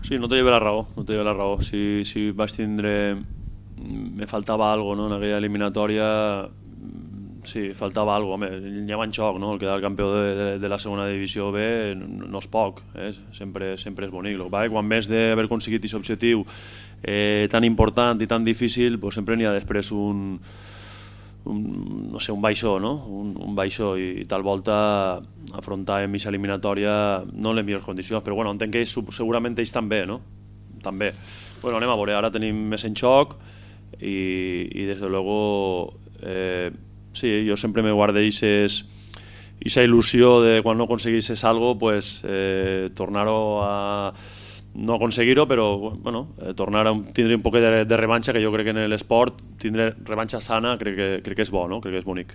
Sí, no te lleve la raó, no te lleve la raó. Si vaig tindre... Me faltava alguna cosa, no? En aquella eliminatòria sí, faltava alguna cosa. Home, anava en xoc, no? El quedar campió de la segona divisió B no és poc, sempre és bonic. El que passa és que quan més d'haver aconseguit aquest objectiu tan important i tan difícil, pues sempre n'hi ha després no sé, un baixó, no? Un baixó i tal volta afrontàvem aquesta eliminatòria no en les millors condicions, però bueno, entenc que ells, segurament ells també, no? També. Bueno, anem a veure, ara tenim més en xoc i des de luego sí, jo sempre me guardo esa il·lusió de quan no aconseguisses algo, pues tornar-ho a no aconseguir-ho, però bueno, tornar a tindre un poc de revanxa, que jo crec que en l'esport tindre revanxa sana crec que és bo, no? Crec que és bonic.